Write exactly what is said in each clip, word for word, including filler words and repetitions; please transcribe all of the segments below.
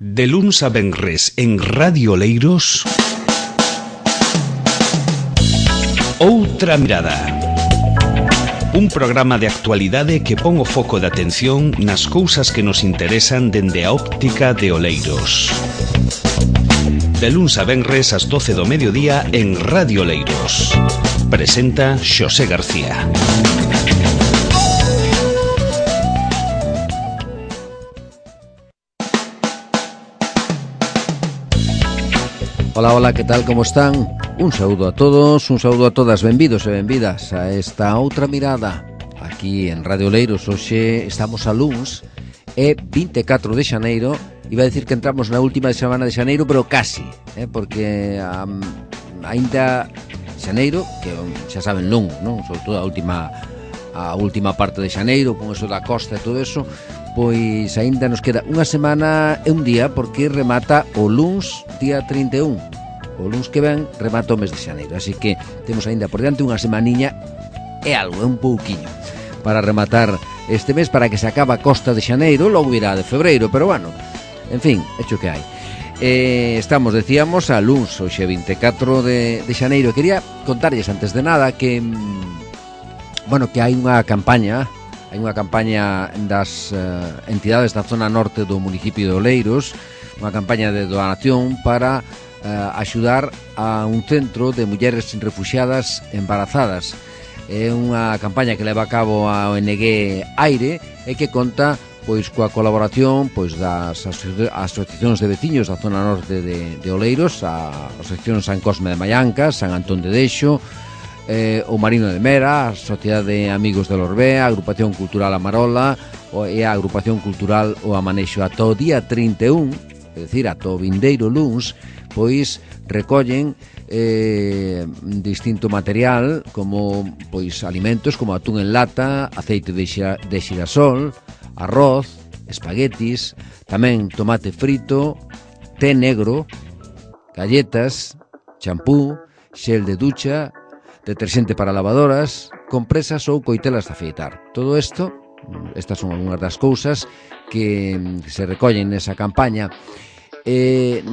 De luns a venres en Radio Oleiros, Outra Mirada. Un programa de actualidade que pon o foco de atención nas cousas que nos interesan dende a óptica de Oleiros. De luns a venres ás doce do mediodía en Radio Oleiros. Presenta Xosé García. Hola, hola, que tal, como están? Un saúdo a todos, un saúdo a todas, benvidos e benvidas a esta outra mirada. Aquí en Radio Oleiros, hoxe estamos a luns, é vinte e catro de xaneiro. Iba a decir que entramos na última semana de xaneiro, pero casi, eh, porque um, ainda xaneiro, que xa saben longo, non? Sobre todo a última, a última parte de xaneiro, con eso da costa e todo eso, pois aínda nos queda unha semana e un día, porque remata o luns día trinta e un. O luns que ven remata o mes de xaneiro, así que temos aínda por diante unha semaniña e algo, é un pouquiño para rematar este mes, para que se acaba a costa de xaneiro, logo irá de febreiro, pero bueno, en fin, hecho que hai. Eh, estamos, decíamos, a luns, hoxe vinte e catro de, de xaneiro. Quería contarlles antes de nada que, bueno, que hai unha campaña, hai unha campaña das uh, entidades da zona norte do municipio de Oleiros, unha campaña de donación para uh, axudar a un centro de mulleres refuxiadas embarazadas. É unha campaña que leva a cabo a O N G Aire e que conta pois coa colaboración pois das aso- asociacións de veciños da zona norte de, de Oleiros, a Asociación San Cosme de Maiancas, San Antón de Dexo, eh, o Marino de Mera, a Sociedade de Amigos de Lorbea, a Agrupación Cultural Amarola e a Agrupación Cultural O Amanexo. Ata o día trinta e un, é dicir, ata o vindeiro luns, pois recollen eh, distinto material, como pois alimentos como atún en lata, aceite de, xira, de xirasol, arroz, espaguetis, tamén tomate frito, té negro, galletas, champú, xel de ducha, deterxente para lavadoras, compresas ou coitelas de afeitar. Todo isto, estas son algunhas das cousas que se recollen nesa campaña. Eh,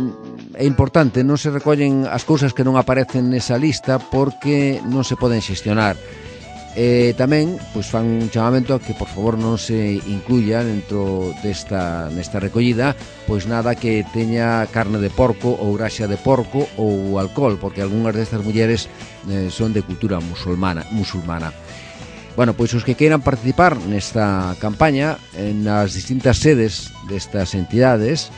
é importante, non se recollen as cousas que non aparecen nesa lista porque non se poden xestionar. Eh, tamén pois fan un chamamento a que por favor non se incluya dentro desta nesta recollida pois nada que teña carne de porco ou graxa de porco ou alcohol, porque algunhas destas mulleres eh, son de cultura musulmana, musulmana. Bueno, pois os que queiran participar nesta campaña en as distintas sedes destas entidades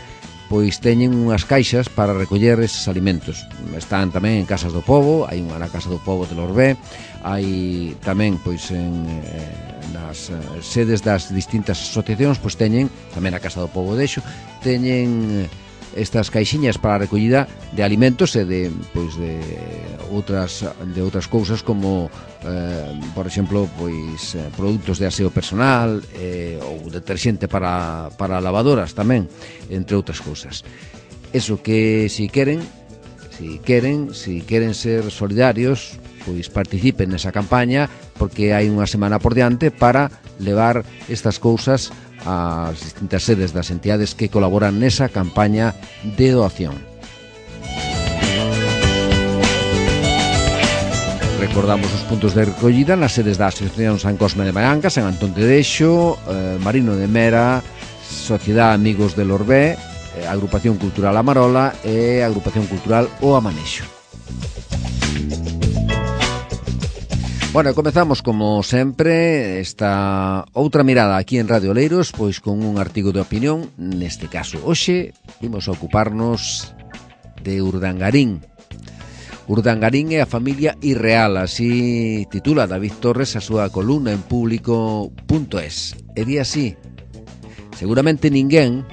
pois teñen unhas caixas para recoller eses alimentos. Están tamén en Casas do Pobo, hai unha na Casa do Pobo de Lorbé, hai tamén pois en eh, nas eh, sedes das distintas asociacións, pois teñen tamén a Casa do Pobo de Xo, teñen estas caixiñas para a recollida de alimentos e de pois de outras de outras cousas como eh, por exemplo, pois eh, produtos de aseo personal eh, ou deterxente para para lavadoras tamén, entre outras cousas. Eso que si queren, si queren, si queren ser solidarios, pois participen nesa campaña, porque hai unha semana por diante para levar estas cousas ás distintas sedes das entidades que colaboran nesa campaña de doación. Recordamos os puntos de recollida nas sedes da Asociación San Cosme de Maiancas, San Antón de Dexo, eh, Marino de Mera, Sociedade Amigos de Lorbé, eh, Agrupación Cultural Amarola e Agrupación Cultural O Amanexo. Bueno, comezamos como sempre esta outra mirada aquí en Radio Oleiros, pois con un artigo de opinión. Neste caso, hoxe imos a ocuparnos de Urdangarín. Urdangarín é a familia irreal, así titula David Torres a súa columna en público punto es. E di así: seguramente ninguén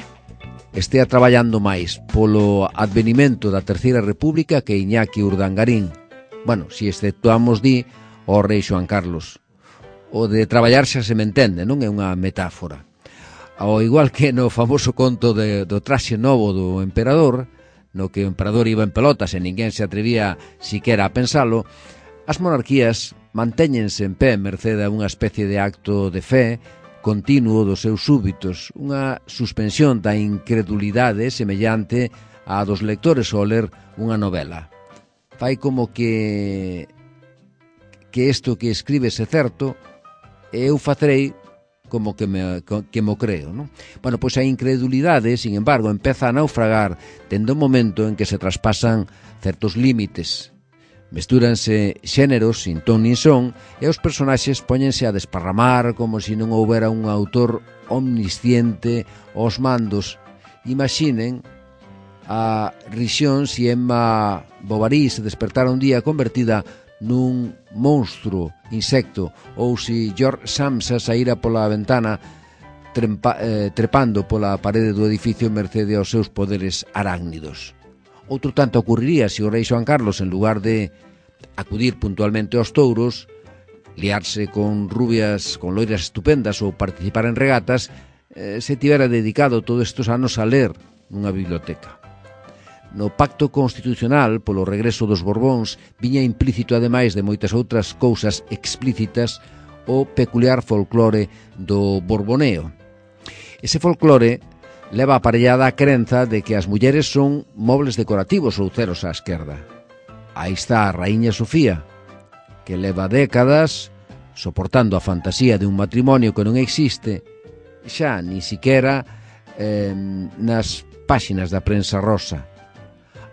estea traballando máis polo advenimento da Terceira República que Iñaki Urdangarín. Bueno, si exceptuamos, di, o rei Xoán Carlos. O de traballar xa se me entende, non é unha metáfora. Ao igual que no famoso conto de, do traxe novo do emperador, no que o emperador iba en pelotas e ninguén se atrevía siquera a pensalo, as monarquías mantéñense en pé merced a unha especie de acto de fe continuo dos seus súbitos, unha suspensión da incredulidade semellante á dos lectores ao ler unha novela. Fai como que que isto que escribes é certo, e eu facerei como que me, que mo creo, non? Bueno, pois a incredulidade, sin embargo, empeza a naufragar dende o momento en que se traspasan certos límites. Mestúranse xéneros sin ton nin son e os personaxes póñense a desparramar como se non houbera un autor omnisciente aos mandos. Imaginen a risión se Emma Bovary se despertara un día convertida nun monstro, insecto, ou se George Samsa saíra pola ventana trepa, eh, trepando pola parede do edificio mercede aos seus poderes arácnidos. Outro tanto ocurriría se o rei Xoán Carlos, en lugar de acudir puntualmente aos touros, liarse con rubias, con loiras estupendas ou participar en regatas, eh, se tivera dedicado todos estes anos a ler nunha biblioteca. No pacto constitucional polo regreso dos Borbóns viña implícito, ademais de moitas outras cousas explícitas, o peculiar folclore do borboneo. Ese folclore leva aparellada a crenza de que as mulleres son mobles decorativos ou ceros á esquerda. Aí está a raíña Sofía, que leva décadas soportando a fantasía de un matrimonio que non existe, xa ni siquera eh, nas páxinas da prensa rosa.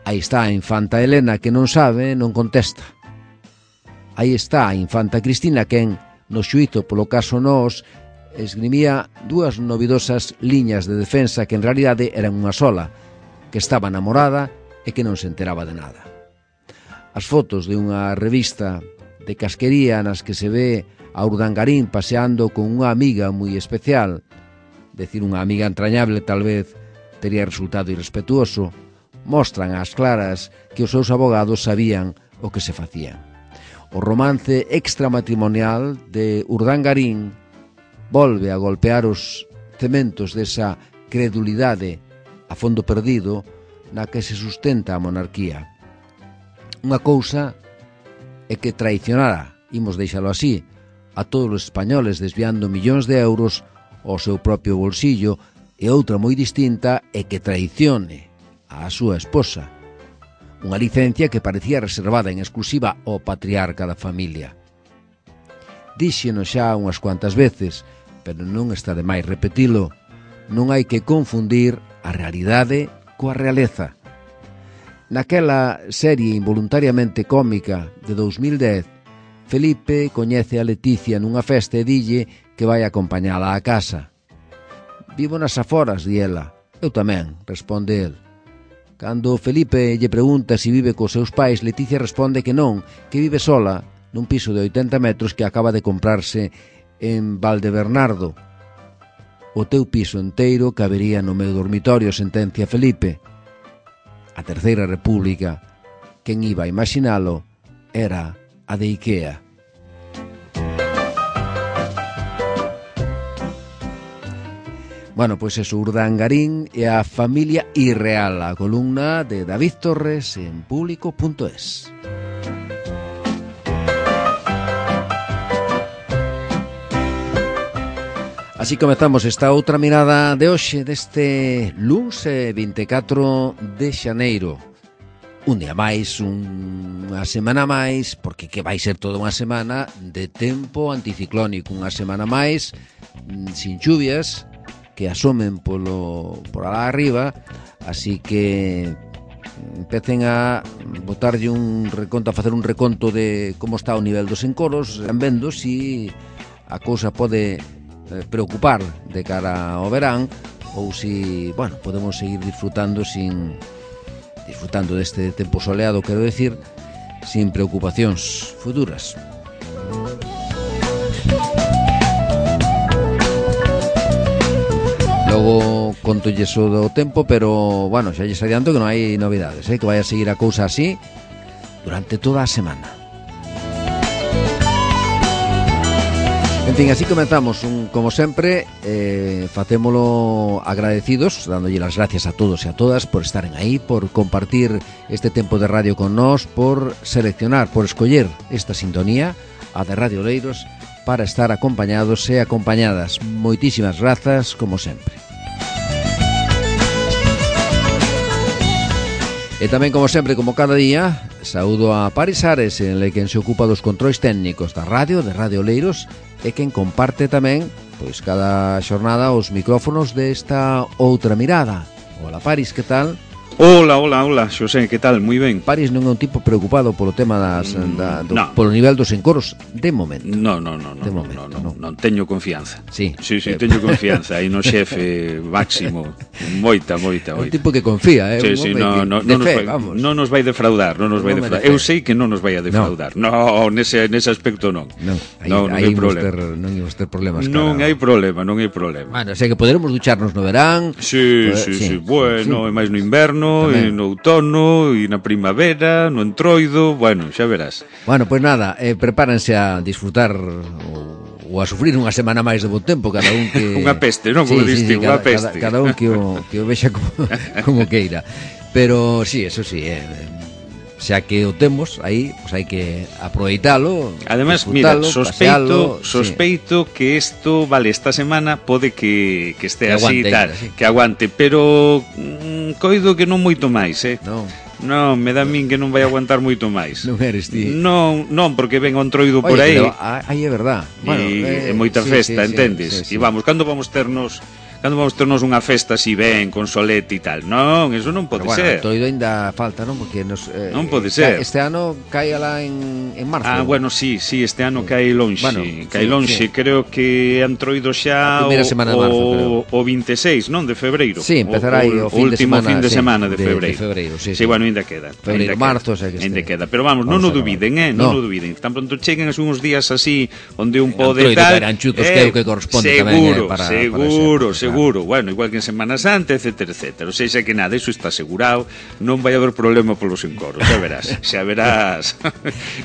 Aí está a infanta Helena, que non sabe, non contesta. Aí está a infanta Cristina, quen, no xuízo polo caso Nós, esgrimía dúas novidosas liñas de defensa que en realidade eran unha sola, que estaba namorada e que non se enteraba de nada. As fotos de unha revista de casquería nas que se ve a Urdangarín paseando con unha amiga moi especial, decir unha amiga entrañable tal vez tería resultado irrespetuoso, mostran ás claras que os seus abogados sabían o que se facían. O romance extramatrimonial de Urdangarín volve a golpear os cementos desa credulidade a fondo perdido na que se sustenta a monarquía. Unha cousa é que traicionara, imos deixalo así, a todos os españoles desviando millóns de euros ao seu propio bolsillo, e outra moi distinta é que traicione a súa esposa, unha licencia que parecía reservada en exclusiva ao patriarca da familia. Díxenos xa unhas cuantas veces, pero non está de máis repetilo, non hai que confundir a realidade coa realeza. Naquela serie involuntariamente cómica de dous mil dez, Felipe coñece a Leticia nunha festa e dille que vai acompañala á casa. Vivo nas aforas, di ela. Eu tamén, responde el. Cando Felipe lle pregunta se vive cos seus pais, Leticia responde que non, que vive sola nun piso de oitenta metros que acaba de comprarse en Valdebernardo. O teu piso enteiro cabería no meu dormitorio, sentencia Felipe. A Terceira República, quen iba a imaginalo, era a de Ikea. Bueno, pois eso, Urdangarín e a familia irreal, a columna de David Torres en público punto es. Así comezamos esta outra mirada de hoxe deste luns vinte e catro de xaneiro. Un día máis, un, unha semana máis, porque que vai ser toda unha semana de tempo anticiclónico, unha semana máis sin chuvias que asomen polo por alá arriba, así que empecen a botarlle un reconto, a facer un reconto de como está o nivel dos encoros, vendo si a cousa pode preocupar de cara ao verán ou si, bueno, podemos seguir disfrutando sin disfrutando deste tempo soleado, quero decir, sin preocupacións futuras. Logo contolles o do tempo, pero, bueno, xa lles adianto que non hai novidades, eh? Que vai a seguir a cousa así durante toda a semana. En fin, así comenzamos, un, como sempre, eh, facémolo agradecidos, dándolle las gracias a todos e a todas por estaren aí, por compartir este tempo de radio con nós, por seleccionar, por escoller esta sintonía, a de Radio Oleiros, para estar acompañados e acompañadas. Moitísimas grazas, como sempre. E tamén, como sempre, como cada día, saúdo a Paris Ares, en el quen se ocupa dos controis técnicos da radio, de Radio Oleiros, e quen comparte tamén, pois, cada xornada os micrófonos desta outra mirada. Hola, Paris, que tal? Hola, hola, hola, Xosé, que tal? Moi ben. Paris non é un tipo preocupado polo tema das da, do, no. polo nivel dos encoros de momento. No, no, no, no, de momento, no, no, no. non teño confianza. Sí, sí, sí, eh, teño confianza aí no xefe máximo. Moita, moita, moita. Un tipo que confía, eh, sí, un sí, no, no, no, de no, fe, nos vai, vamos. non nos vai defraudar, non nos vai No defraudar. de Eu sei que non nos vai a defraudar. No, no nese nese aspecto non. Non, aí, no, non aí hai problema. Ter, non imos ter problemas. Non cara. hai problema, non hai problema. Bueno, sei que poderemos ducharnos no verán. Sí, poder, sí, sí, sí, bueno, sí. e máis no inverno, Tamén. e no outono, e na primavera, no entroido, bueno, xa verás. Bueno, pois pues nada, eh, prepárense a disfrutar ou, ou a sufrir unha semana máis de bo tempo, cada un que... Unha peste, non? Como sí, sí, sí, unha cada, peste. Cada, cada un que o, que o vexa como, como queira. Pero sí, eso sí, eh, xa que o temos aí, pois hai que aproveitalo. Además, mira, sospeito, pasealo, sospeito sí. que isto, vale, esta semana pode que, que este que así aguante, tal, sí. que aguante, pero mm, coido que non moito máis, eh? Non. Non, me dá a min que non vai aguantar moito máis. Non eres ti. Non, non, porque ven o entroido por aí. Oye, pero aí é verdad. Bueno, e eh, moita sí, festa, sí, entendes? Sí, sí, sí. E vamos, cando vamos ternos cando vamos ternos unha festa así ben, con solete e tal. Non, eso non pode pero, bueno, ser. Bueno, entroido ainda falta, non? Porque nos, eh, non pode ser. Este ano cae alá en, en marzo. Ah, bueno, sí, sí, este ano cae lonxe, bueno, cae sí, lonxe, sí. creo que entroido xa a primeira semana de marzo, creo. o vinte e seis, non, de febreiro. Sí, empezará aí o, o fin de último semana, fin de sí, semana de, de febreiro. De febreiro, sí, sí, sí. bueno, ainda queda. Febreiro, ainda marzo, queda, o sea que ainda este... queda, pero vamos, non o dubiden, eh, non o no. dubiden. Tan pronto cheguen as uns días así onde un pode entroido tal, caerán chutos, eh, que é o que corresponde seguro, tamén, eh, para, seguro, para seguro. Claro. Bueno, igual que en Semana Santa, etcétera, etcétera. O sea, xa que nada, iso está asegurado, non vai haber problema polos encoros, xa verás, xa verás.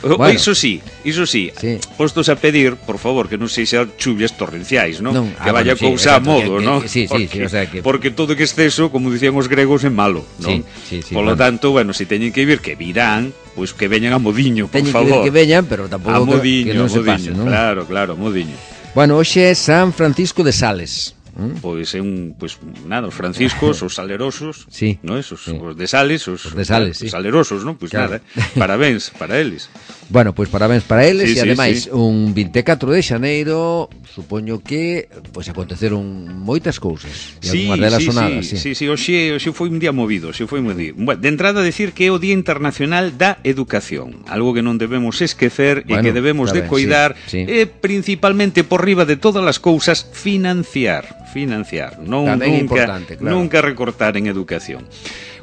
Bueno, iso sí, iso sí, sí, postos a pedir, por favor, que non sexa chuvias torrenciais, non? non que ah, vaya bueno, cousa sí, a modo, non? Sí, sí, sí, o sea que... Porque todo que exceso, como dicían os gregos, é malo, non? Sí, sí, sí, Polo bueno. tanto, bueno, se teñen que vir, que virán, pois pues que veñan a modiño, por teñen favor. Teñen que vir que veñan, pero tampouco a modiño, que non se modiño, pase, non? Claro, claro, modiño. Bueno, hoxe é San Francisco de Sales. ¿Mm? Pois é un, pois nada, os franciscos, os salerosos, sí, no esos, sí. os de Sales, os, os de Sales, os sí. salerosos, non? Pois claro. Nada, parabéns para eles. Bueno, pois parabéns para eles sí, e ademais sí, sí. un vinte e catro de xaneiro, supoño que pois aconteceron moitas cousas, e sí, algunhas delas sí, sonadas, sí. sí. Sí, sí, hoxe, hoxe foi un día movido, hoxe foi moi día. Bueno, de entrada decir que é o Día Internacional da Educación, algo que non debemos esquecer bueno, e que debemos de coidar, sí, sí. e principalmente por riba de todas as cousas financiar, financiar, non tamén nunca, claro. nunca recortar en educación.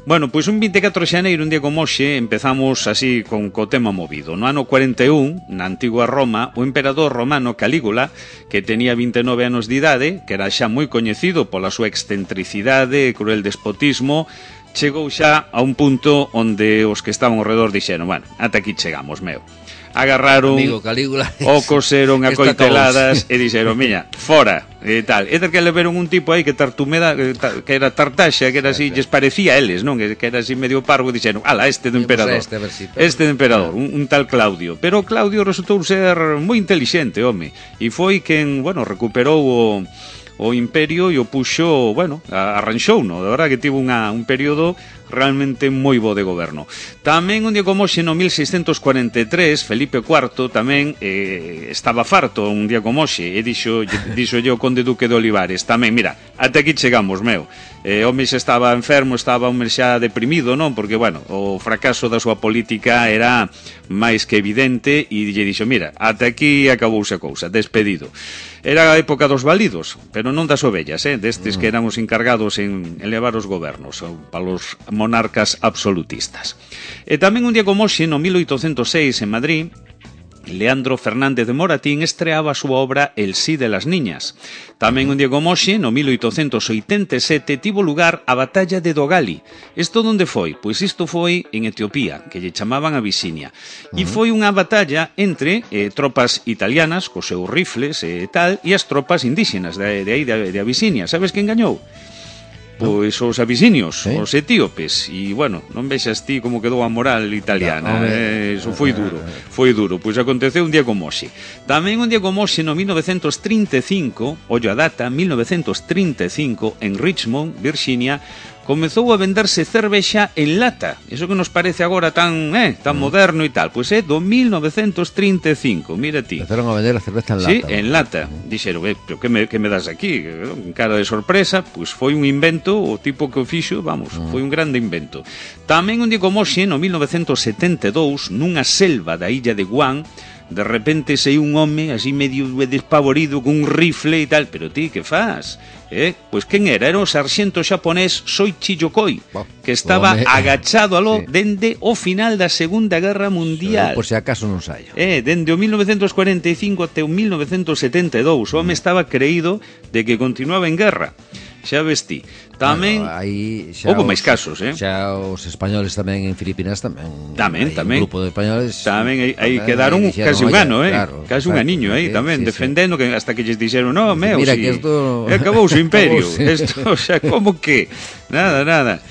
Bueno, pois un vinte e catro de xaneiro, un día como hoxe, empezamos así con co tema movido. No ano cuarenta e un, na antigua Roma, o emperador romano Calígula, que tenía vinte e nove anos de idade, que era xa moi coñecido pola súa excentricidade e cruel despotismo, chegou xa a un punto onde os que estaban ao redor dixeron, bueno, ata aquí chegamos, meu. Agarraron, amigo Calígula, o coseron a coiteladas e dixeron, miña, fora, e tal. E que le veron un tipo aí que tartumeda, que era tartaxa, que era así, lles parecía a eles, non? Que era así medio parvo, e dixeron, ala, este do emperador. Este, si, este do emperador, un, un tal Claudio. Pero Claudio resultou ser moi intelixente, home. E foi quen, bueno, recuperou o o imperio e o puxo, bueno, arranxou, no? De verdade que tivo unha, un período realmente moi bo de goberno. Tamén un día como hoxe, no mil seiscentos cuarenta e tres, Felipe cuarto tamén eh, estaba farto un día como hoxe e dixo, dixo yo conde duque de Olivares tamén, mira, até aquí chegamos, meu. Eh, o mes estaba enfermo, estaba un mes xa deprimido, non? Porque, bueno, o fracaso da súa política era máis que evidente e lle dixo, mira, até aquí acabouse a cousa, despedido. Era a época dos válidos, pero non das ovellas, eh? Destes que eran os encargados en elevar os gobernos para os monarcas absolutistas. E tamén un día como hoxe, no mil oitocentos seis, en Madrid, Leandro Fernández de Moratín estreaba a súa obra El sí de las niñas. Tamén un día como hoxe, no mil oitocentos oitenta e sete, tivo lugar a batalla de Dogali. Isto onde foi? Pois isto foi en Etiopía, que lle chamaban Abisinia. E foi unha batalla entre eh, tropas italianas, cos seus rifles e eh, tal, e as tropas indígenas de, de aí, de, de Abisinia. Sabes quen gañou? pois os abisinios, sí. os etíopes, e, bueno, non vexas ti como quedou a moral italiana, no, eh, eso foi duro, foi duro, pois aconteceu un día como hoxe. Tamén un día como hoxe, no mil novecentos trinta e cinco, ollo a data, mil novecentos trinta e cinco, en Richmond, Virginia, comezou a venderse cervexa en lata. Eso que nos parece agora tan eh, tan mm. moderno e tal. Pois é do mil novecentos trinta e cinco, mira ti. Empezaron a vender a cerveza en lata. Sí, en lata. Dixeron, eh, pero que me, que me das aquí? En cara de sorpresa, pois foi un invento, o tipo que o fixo, vamos, mm. foi un grande invento. Tamén un día como hoxe, no mil novecentos setenta e dous, nunha selva da illa de Guam, de repente sei un home así medio despavorido con un rifle e tal, pero ti, que faz? Eh? Pois quen era? Era o sarxento xaponés Soichi Yokoi, que estaba oh, agachado aló sí. dende o final da Segunda Guerra Mundial. Por se acaso non saio. Eh, dende o mil novecentos cuarenta e cinco até o mil novecentos setenta e dous, o home estaba creído de que continuaba en guerra. Xa vestí. Tamén bueno, aí xa houve os, máis casos, eh? Xa os españoles tamén en Filipinas tamén. Tamén, tamén. Un grupo de españoles tamén aí, aí quedaron dixeron, casi un ano, eh? Claro, casi un aniño aí, eh, tamén, sí, defendendo sí. que hasta que lles dixeron, no, meu, mira si, que esto acabou o imperio. Esto, xa, como que? Nada, nada.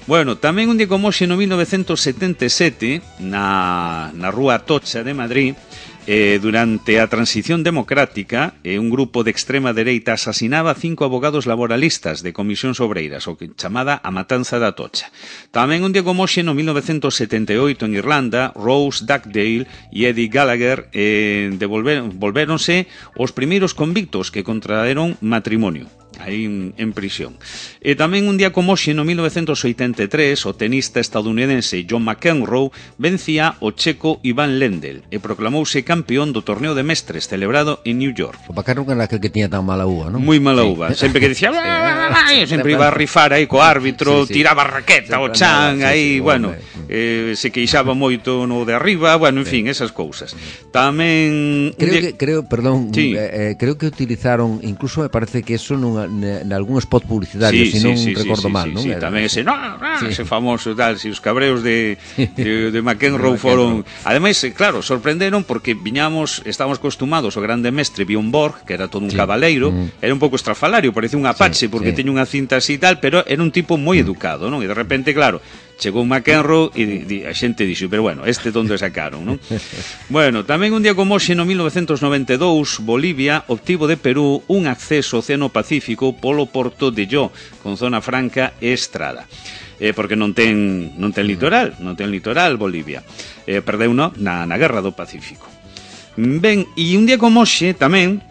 Bueno, tamén un día como hoxe no mil novecentos setenta e sete, na, na rúa Atocha de Madrid, Eh, durante a transición democrática, eh, un grupo de extrema dereita asasinaba a cinco abogados laboralistas de comisións obreiras, o que chamada a matanza da Atocha. Tamén un día como hoxe, no mil novecentos setenta e oito, en Irlanda, Rose Dugdale e Eddie Gallagher eh, devolver, volvéronse os primeiros convictos que contraeron matrimonio aí en, en prisión. E tamén un día como hoxe, no mil novecentos oitenta e tres, o tenista estadounidense John McEnroe vencía o checo Ivan Lendl e proclamouse campeón do torneo de mestres celebrado en New York. O McEnroe era aquel que tiña tan mala uva, non? Moi mala uva, sí. Sempre que dicía sempre iba a rifar aí co árbitro, sí, sí. tiraba a raqueta o chan, aí, sí, sí, bueno, eh, se queixaba moito no de arriba, bueno, en fin, esas cousas. Tamén creo que creo, perdón, sí. eh, creo que utilizaron, incluso me parece que eso nunha en algún spot publicitario, sí, si non sí, sí, recordo sí, mal, sí, non? Sí, Era, tamén ese, no, no, sí. ese famoso tal, si os cabreos de, de, de McEnroe foron... Ademais, claro, sorprenderon porque viñamos, estábamos acostumados ao grande mestre Bjorn Borg, que era todo un sí. cabaleiro, mm. era un pouco estrafalario, parecía un apache, sí, porque sí. teña unha cinta así e tal, pero era un tipo moi mm. educado, non? E de repente, claro, chegou McEnroe e a xente dixo, pero bueno, este donde sacaron, non? Bueno, tamén un día como hoxe, no mil novecentos noventa e dous, Bolivia obtivo de Perú un acceso ao Océano Pacífico polo porto de Yo, con zona franca e estrada. Eh, porque non ten non ten litoral, non ten litoral Bolivia. Eh, perdeu no na, na Guerra do Pacífico. Ben, e un día como hoxe tamén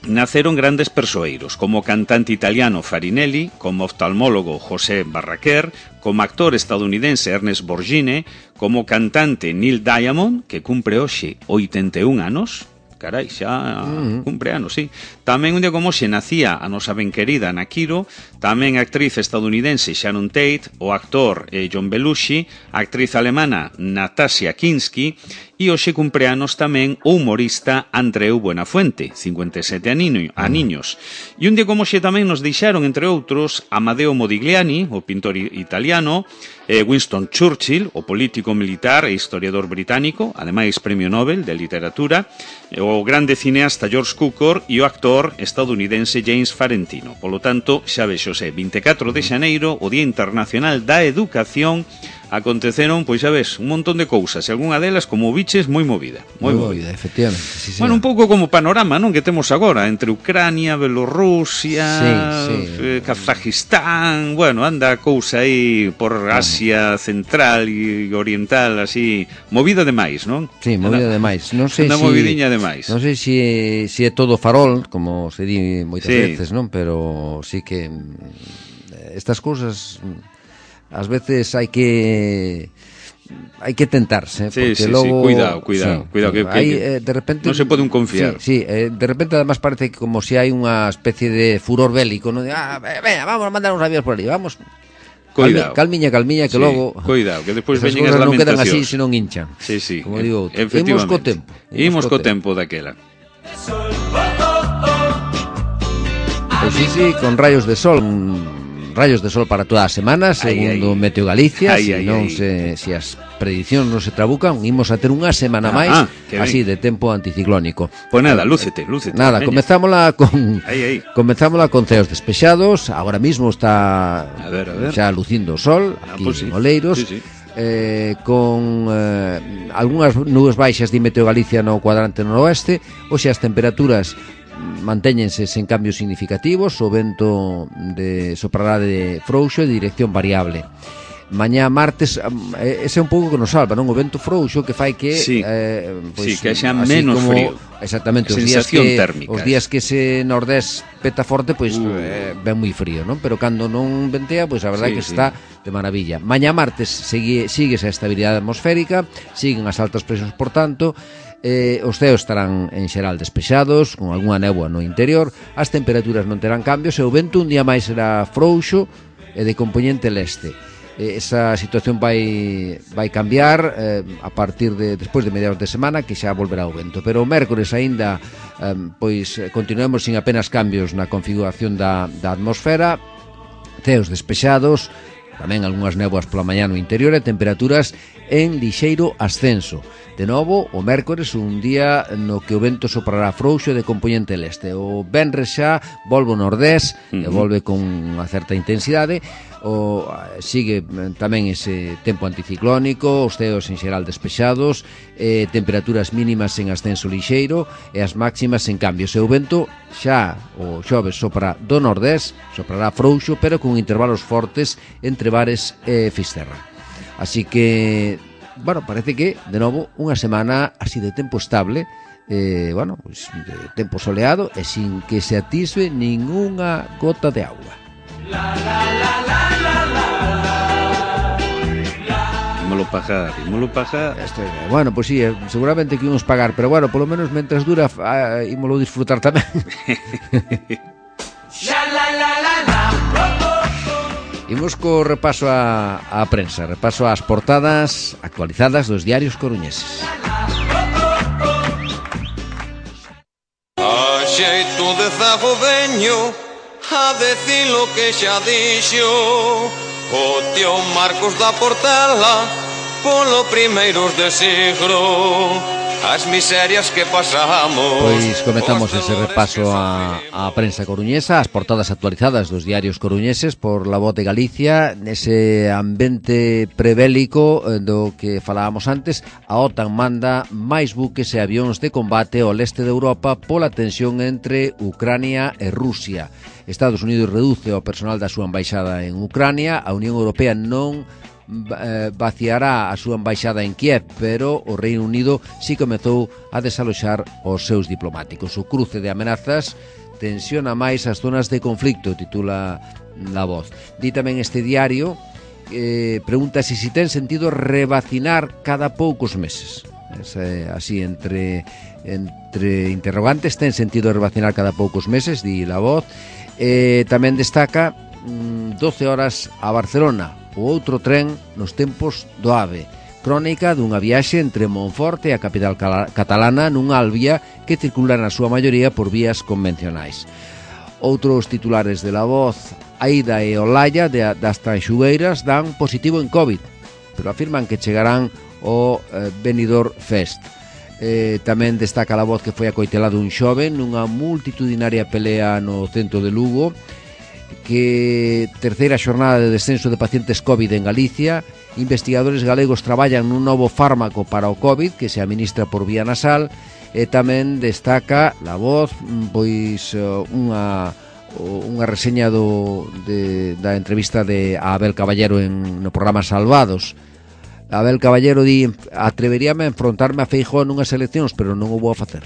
naceron grandes persoeiros, como o cantante italiano Farinelli, como oftalmólogo José Barraquer, como actor estadounidense Ernest Borgnine, como cantante Neil Diamond, que cumpre hoxe oitenta e un anos. Carai, xa cumpre anos, sí. Tamén un día como hoxe nacía a nosa ben querida Ana Quiro, tamén a actriz estadounidense Sharon Tate, o actor eh, John Belushi, a actriz alemana Natasha Kinski, e hoxe cumpre anos tamén o humorista Andreu Buenafuente, cincuenta e sete aniños. E un día como hoxe tamén nos deixaron, entre outros, Amadeo Modigliani, o pintor italiano, eh, Winston Churchill, o político militar e historiador británico, ademais premio Nobel de literatura, o grande cineasta George Cukor e o actor estadounidense James Farentino. Polo tanto, xa vexose, vinte e catro de xaneiro, o Día Internacional da Educación, aconteceron, pois xa ves, un montón de cousas, e algunha delas, como biches, moi movida. Moi movida, movida, efectivamente. Sí, bueno, un pouco como panorama, non, que temos agora, entre Ucrania, Bielorrusia, sí, sí. Eh, Kazajistán, bueno, anda a cousa aí por Asia Central e Oriental, así, movida demais, non? Sí, movida anda, demais. Non sei anda si, movidiña demais. Non sei se si, si é todo farol, como se di moitas sí. veces, non? Pero sí que estas cousas ás veces hai que hai que tentarse, sí, porque sí, logo sí, cuidado, cuidado, sí, cuidado que, hay, que eh, de repente non se pode un confiar. Sí, sí, eh, de repente además parece que como si hai unha especie de furor bélico, ¿no? De, ah, venga, vamos a mandar uns aviones por ali, vamos. Cuidado. Calmiña, calmiña, que sí, logo cuidado, que despois veñen as lamentacións. Non quedan así se non hinchan. Sí, sí. Como digo, imos co tempo. Imos co tempo daquela. Pois sí, sí, con rayos de sol. rayos de sol para toda a semana, segundo ai, ai. Meteo Galicia, ai, se ai, non ai. se se as predicións non se trabucan, imos a ter unha semana ah, máis ah, así de tempo anticiclónico. Pois nada, lúcete, lúcete. Nada, comezámola con ai, ai. comezámola con ceos despexados. Agora mismo está a ver, a ver. xa lucindo o sol aquí ah, pues en sí. Oleiros. Sí, sí. Eh, con eh, algunhas nubes baixas de Meteo Galicia no cuadrante noroeste. Hoxe as temperaturas mantéñense sen cambios significativos, o vento de soprará de frouxo e de dirección variable. Mañá martes, ese é un pouco que nos salva, non? O vento frouxo que fai que sí, eh, pues, sí, que xa menos como, frío. Exactamente, os días que térmica. Os días que ese nordés peta forte, pois pues, uh. eh, ven moi frío, non? Pero cando non ventea, pois pues, a verdade sí, que sí. está de maravilla. Mañá martes sigue sigue esa estabilidade atmosférica, siguen as altas presións, por tanto, eh, os ceos estarán en xeral despexados, con algunha néboa no interior, as temperaturas non terán cambios e o vento un día máis será frouxo e de compoñente leste. Esa situación vai vai cambiar eh, a partir de despois de mediados de semana, que xa volverá o vento, pero o mércores aínda eh, pois continuemos sin apenas cambios na configuración da, da atmosfera, ceos despexados, tamén algunhas néboas pola mañá no interior e temperaturas en lixeiro ascenso. De novo, o mércores un día no que o vento soprará frouxo de compoñente leste. O venres xa volve o nordés uh-huh. e volve con unha certa intensidade. O, sigue tamén ese tempo anticiclónico, os ceos en xeral despexados, eh, temperaturas mínimas en ascenso lixeiro e as máximas en cambio. E o vento xa o xoves sopra do nordés, soprará frouxo, pero con intervalos fortes entre Bares e Fisterra. Así que, bueno, parece que, de novo, unha semana así de tempo estable, eh, bueno, pues, de tempo soleado e sin que se atisbe ningunha gota de agua. La, la, la, la, la, la, la. Ímolo pagar, ímolo pagar. Este, bueno, pues sí, seguramente que ímos pagar, pero bueno, polo menos mentras dura, ah, ímolo disfrutar tamén. La, la, la, la, la. Imos co repaso a, a prensa, repaso ás portadas actualizadas dos diarios coruñeses. A xeito de zago veño a decir lo que xa dixo o tío Marcos da Portela polo primeiros de siglo. As miserias que pasamos. Pois comezamos ese repaso a, a prensa coruñesa, as portadas actualizadas dos diarios coruñeses por La Voz de Galicia, nese ambiente prebélico do que falábamos antes. A OTAN manda máis buques e avións de combate ao leste de Europa pola tensión entre Ucrania e Rusia. Estados Unidos reduce o personal da súa embaixada en Ucrania. A Unión Europea non vaciará a súa embaixada en Kiev, pero o Reino Unido si comezou a desaloxar os seus diplomáticos. O cruce de amenazas tensiona máis as zonas de conflicto, titula La Voz. Di tamén este diario, eh, pregunta se si ten sentido revacinar cada poucos meses. Es, eh, así, entre, entre interrogantes, ten sentido revacinar cada poucos meses, di La Voz. Eh, tamén destaca mm, doce horas a Barcelona, o outro tren nos tempos do AVE. Crónica dunha viaxe entre Monforte e a capital catalana nunha albia que circula na súa maioría por vías convencionais. Outros titulares de La Voz: Aida e Olaya das Tanxugueiras dan positivo en COVID, pero afirman que chegarán ao eh, Benidorm Fest. Eh, tamén destaca La Voz que foi acoitelado un xoven nunha multitudinaria pelea no centro de Lugo, que terceira xornada de descenso de pacientes COVID en Galicia. Investigadores galegos traballan nun novo fármaco para o COVID que se administra por vía nasal. E tamén destaca La Voz pois unha unha reseña do, de, da entrevista de Abel Caballero en, no programa Salvados. Abel Caballero di: atreveríame a enfrontarme a Feijóo nunhas eleccións, pero non o vou a facer.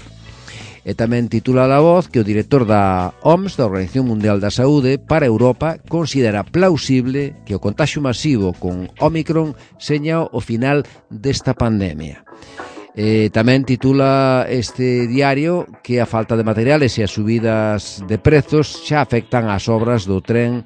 E tamén titula La Voz que o director da O M S, da Organización Mundial da Saúde, para Europa considera plausible que o contagio masivo con Omicron seña o final desta pandemia. E tamén titula este diario que a falta de materiales e as subidas de prezos xa afectan as obras do tren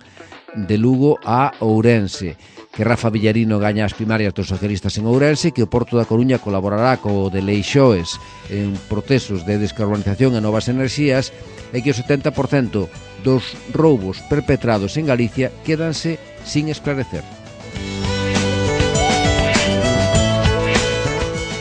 de Lugo a Ourense, que Rafa Villarino gaña as primarias dos socialistas en Ourense, que o Porto da Coruña colaborará co de Leixoes en procesos de descarbonización e novas enerxías, e que o setenta por cento dos roubos perpetrados en Galicia quédanse sin esclarecer.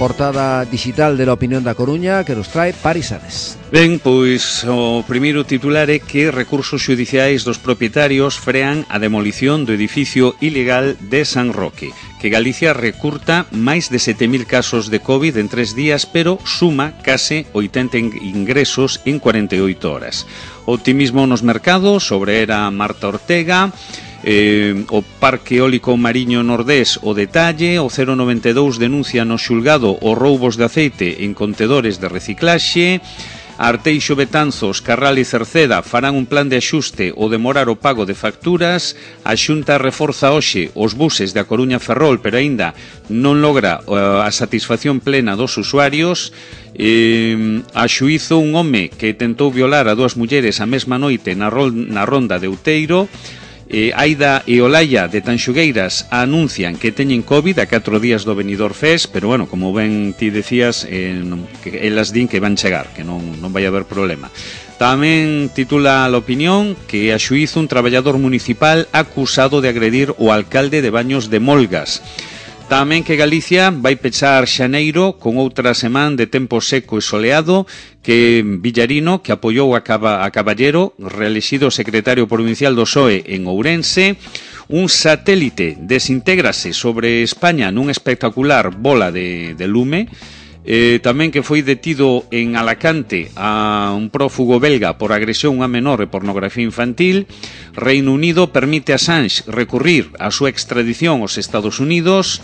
Portada digital de La Opinión da Coruña que nos trae Paris Ares. Ben, pois o primeiro titular é que recursos xudiciais dos propietarios frean a demolición do edificio ilegal de San Roque, que Galicia recurta máis de sete mil casos de COVID en tres días, pero suma case oitenta ingresos en cuarenta e oito horas. Optimismo nos mercados, sobre era Marta Ortega. Eh, o Parque Eólico Mariño Nordés o detalle, o cero noventa e dous denuncia no xulgado os roubos de aceite en contedores de reciclaxe. Arteixo, Betanzos, Carral e Cerceda farán un plan de axuste ou demorar o pago de facturas. A Xunta reforza hoxe os buses da Coruña Ferrol, pero aínda non logra uh, a satisfacción plena dos usuarios. Eh, a xuízo un home que tentou violar a dúas mulleres a mesma noite na, rol, na ronda de Outeiro. Eh, Aida e Olaya de Tanxugueiras anuncian que teñen COVID a catro días do Benidorm Fest, pero bueno, como ben ti decías, eh, que elas din que van chegar, que non, non vai haber problema. Tamén titula a opinión que a xuízo un traballador municipal acusado de agredir o alcalde de Baños de Molgas. Tamén que Galicia vai pechar xaneiro con outra semana de tempo seco e soleado, que Villarino, que apoiou a, Caba, a Caballero, reelexido secretario provincial do P S O E en Ourense. Un satélite desintégrase sobre España nun espectacular bola de, de lume. Eh, tamén que foi detido en Alacante a un prófugo belga por agresión a menor e pornografía infantil. Reino Unido permite a Assange recurrir a súa extradición aos Estados Unidos.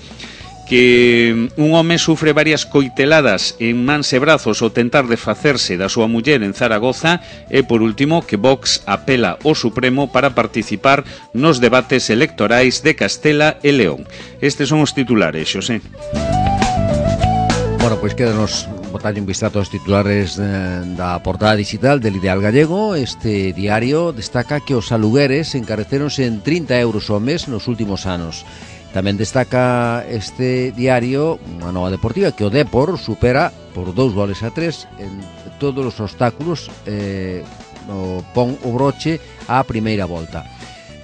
Que un home sufre varias coiteladas en mans e brazos ao tentar desfacerse da súa muller en Zaragoza. E por último que Vox apela ao Supremo para participar nos debates electorais de Castela e León. Estes son os titulares, Xosé. Bueno, pois quédanos botar un vistazo aos titulares eh, da portada digital del Ideal Gallego. Este diario destaca que os alugueres encareceronse en trinta euros ao mes nos últimos anos. Tamén destaca este diario unha nova deportiva que o Depor supera por dous goles a tres en todos os obstáculos, eh, o pon o broche á primeira volta.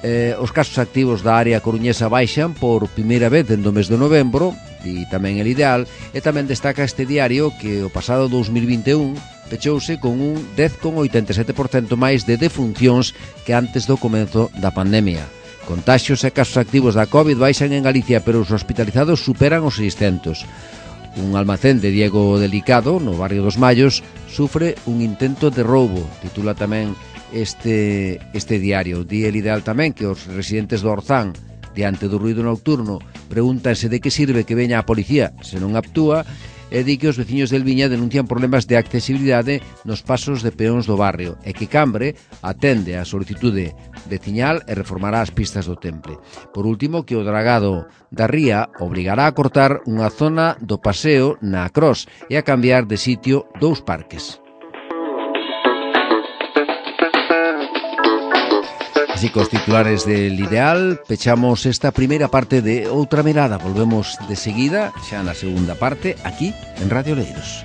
Eh, os casos activos da área coruñesa baixan por primeira vez dende o mes de novembro, e tamén el Ideal, e tamén destaca este diario que o pasado dous mil vinte e un pechouse con un dez coma oitenta e sete por cento máis de defuncións que antes do comenzo da pandemia. Contaxios e casos activos da COVID baixan en Galicia, pero os hospitalizados superan os seiscentos. Un almacén de Diego Delicado, no barrio dos Mallos, sufre un intento de roubo, titula tamén este, este diario. Di el Ideal tamén que os residentes do Orzán, diante do ruído nocturno, pregúntanse de que sirve que veña a policía se non actúa, e di que os veciños del Viña denuncian problemas de accesibilidade nos pasos de peóns do barrio e que Cambre atende a solicitude veciñal e reformará as pistas do Temple. Por último, que o dragado da ría obrigará a cortar unha zona do paseo na Cros e a cambiar de sitio dous parques. Así que os titulares del Ideal pechamos esta primeira parte de Outra Mirada. Volvemos de seguida, xa na segunda parte, aquí en Radio Oleiros.